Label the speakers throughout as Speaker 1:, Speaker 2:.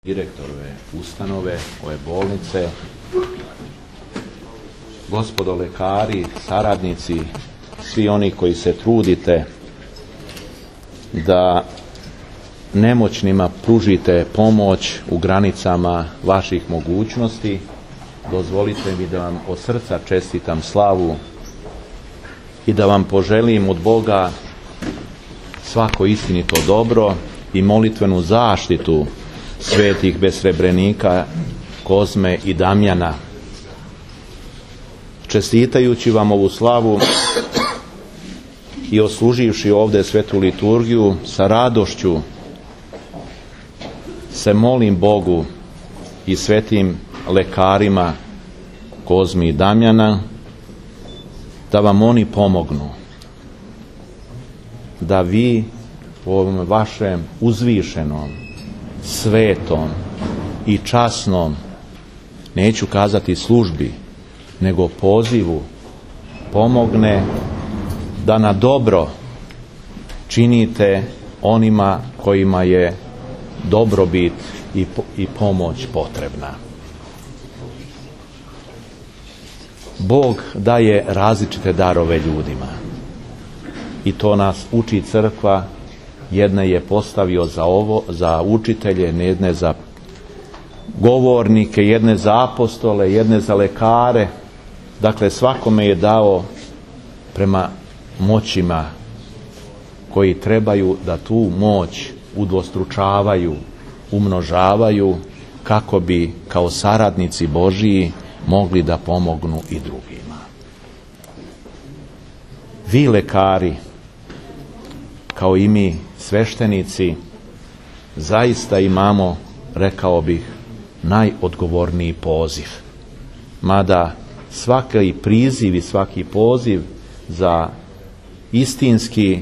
Speaker 1: direktorove ustanove, ove bolnice, gospodo lekari, saradnici, svi oni koji se trudite da nemoćnima pružite pomoć u granicama vaših mogućnosti, dozvolite mi da vam od srca čestitam slavu i da vam poželim od Boga svako istinito dobro i molitvenu zaštitu svetih besrebrenika Kozme i Damjana. Čestitajući vam ovu slavu i odsluživši ovdje svetu liturgiju, sa radošću se molim Bogu i svetim lekarima Kozmi i Damjana da vam oni pomognu, da vi u ovom vašem uzvišenom, svetom i časnom, neću kazati službi, nego pozivu, pomogne da na dobro činite onima kojima je dobrobit i pomoć potrebna. Bog daje različite darove ljudima i to nas uči crkva. Jedne je postavio za učitelje, jedne za govornike, jedne za apostole, jedne za lekare. Dakle, svakome je dao prema moćima koji trebaju da tu moć udvostručavaju, umnožavaju, kako bi kao saradnici Božiji mogli da pomognu i drugima. Vi lekari, kao i mi sveštenici, zaista imamo, rekao bih, najodgovorniji poziv. Mada svaki priziv i svaki poziv za istinski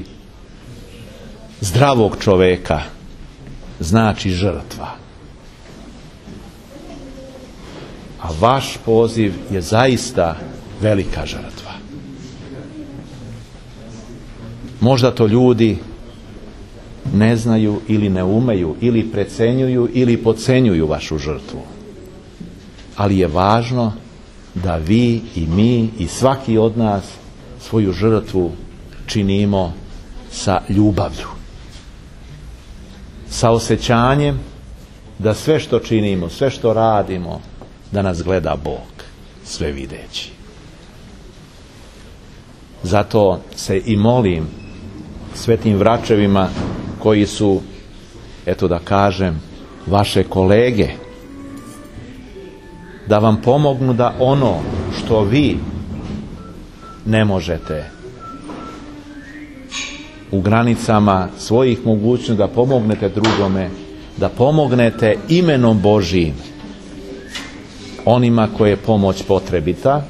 Speaker 1: zdravog čoveka znači žrtva. A vaš poziv je zaista velika žrtva. Možda to ljudi ne znaju ili ne umeju, ili precenjuju ili podcenjuju vašu žrtvu. Ali je važno da vi i mi i svaki od nas svoju žrtvu činimo sa ljubavlju, sa osjećanjem da sve što činimo, sve što radimo, da nas gleda Bog, sve videći. Zato se i molim svetim vračevima koji su, eto da kažem, vaše kolege, da vam pomognu da ono što vi ne možete u granicama svojih mogućnosti da pomognete drugome, da pomognete imenom Božijim onima koje je pomoć potrebita,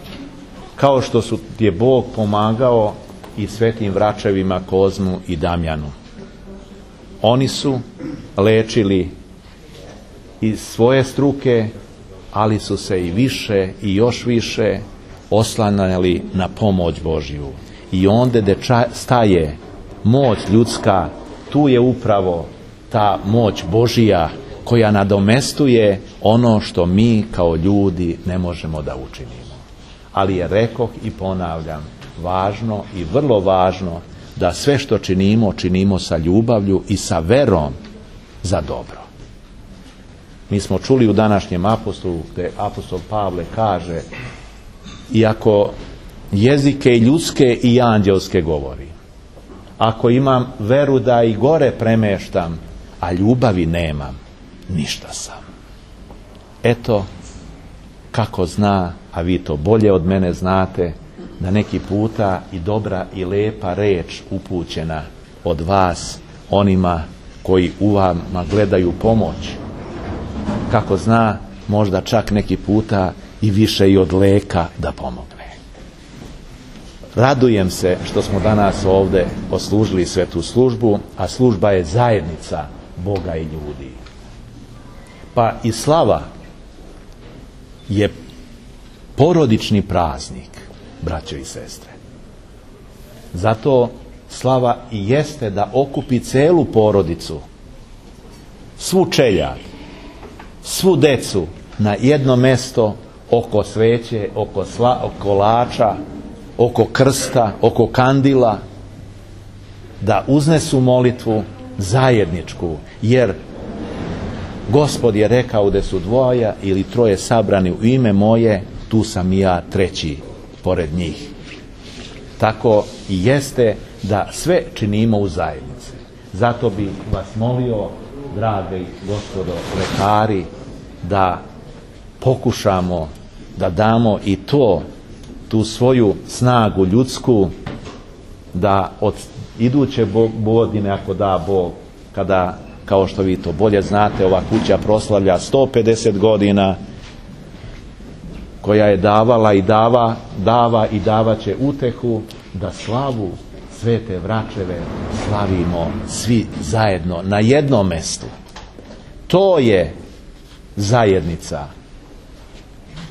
Speaker 1: kao što je Bog pomagao i svetim vračevima Kozmu i Damjanu. Oni su lečili iz svoje struke, ali su se i više i još više oslanjali na pomoć Božju. I onda gdje staje moć ljudska, tu je upravo ta moć Božija koja nadomestuje ono što mi kao ljudi ne možemo da učinimo. Ali je, rekoh i ponavljam, važno i vrlo važno da sve što činimo, činimo sa ljubavlju i sa verom za dobro. Mi smo čuli u današnjem apostolu, gdje apostol Pavle kaže: iako jezike i ljudske i anđelske govori, ako imam veru da i gore premeštam, a ljubavi nemam, ništa sam. Eto kako zna, a vi to bolje od mene znate, da neki puta i dobra i lepa reč upućena od vas onima koji u vama gledaju pomoć, kako zna, možda čak neki puta i više i od leka da pomogne. Radujem se što smo danas ovdje odslužili svetu službu, a služba je zajednica Boga i ljudi. Pa i slava je porodični praznik, braćo i sestre. Zato slava i jeste da okupi celu porodicu, svu čeljad, svu decu na jedno mesto oko sveće, oko kolača, oko krsta, oko kandila, da uznesu molitvu zajedničku, jer Gospod je rekao da su dvoja ili troje sabrani u ime moje, tu sam i ja treći pored njih. Tako i jeste da sve činimo u zajednici. Zato bi vas molio, dragi gospodo lekari, da pokušamo da damo i tu svoju snagu ljudsku, da od iduće godine, ako da Bog, kada, kao što vi to bolje znate, ova kuća proslavlja 150 godina, koja je davala i dava i davat će utehu, da slavu Svete Vračeve slavimo svi zajedno na jednom mestu. To je zajednica.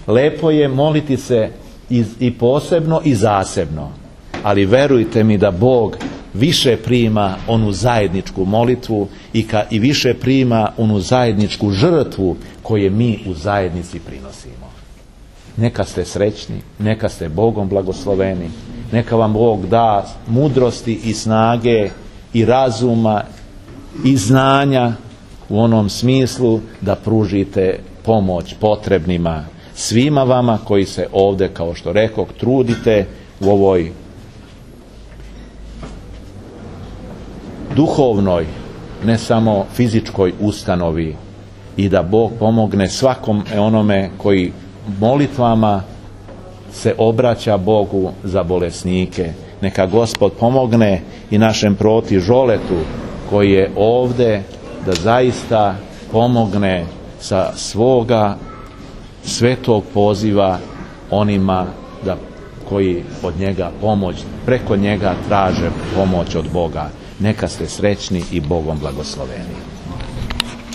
Speaker 1: Lepo je moliti se i posebno i zasebno, ali verujte mi da Bog više prima onu zajedničku molitvu i više prima onu zajedničku žrtvu koje mi u zajednici prinosimo. Neka ste srećni, neka ste Bogom blagosloveni, neka vam Bog da mudrosti i snage i razuma i znanja u onom smislu da pružite pomoć potrebnima, svima vama koji se ovdje, kao što rekoh, trudite u ovoj duhovnoj, ne samo fizičkoj ustanovi, i da Bog pomogne svakom onome koji molitvama se obraća Bogu za bolesnike. Neka Gospod pomogne i našem proti Žoletu koji je ovdje, da zaista pomogne sa svoga svetog poziva onima koji od njega preko njega traže pomoć od Boga. Neka ste srećni i Bogom blagosloveni.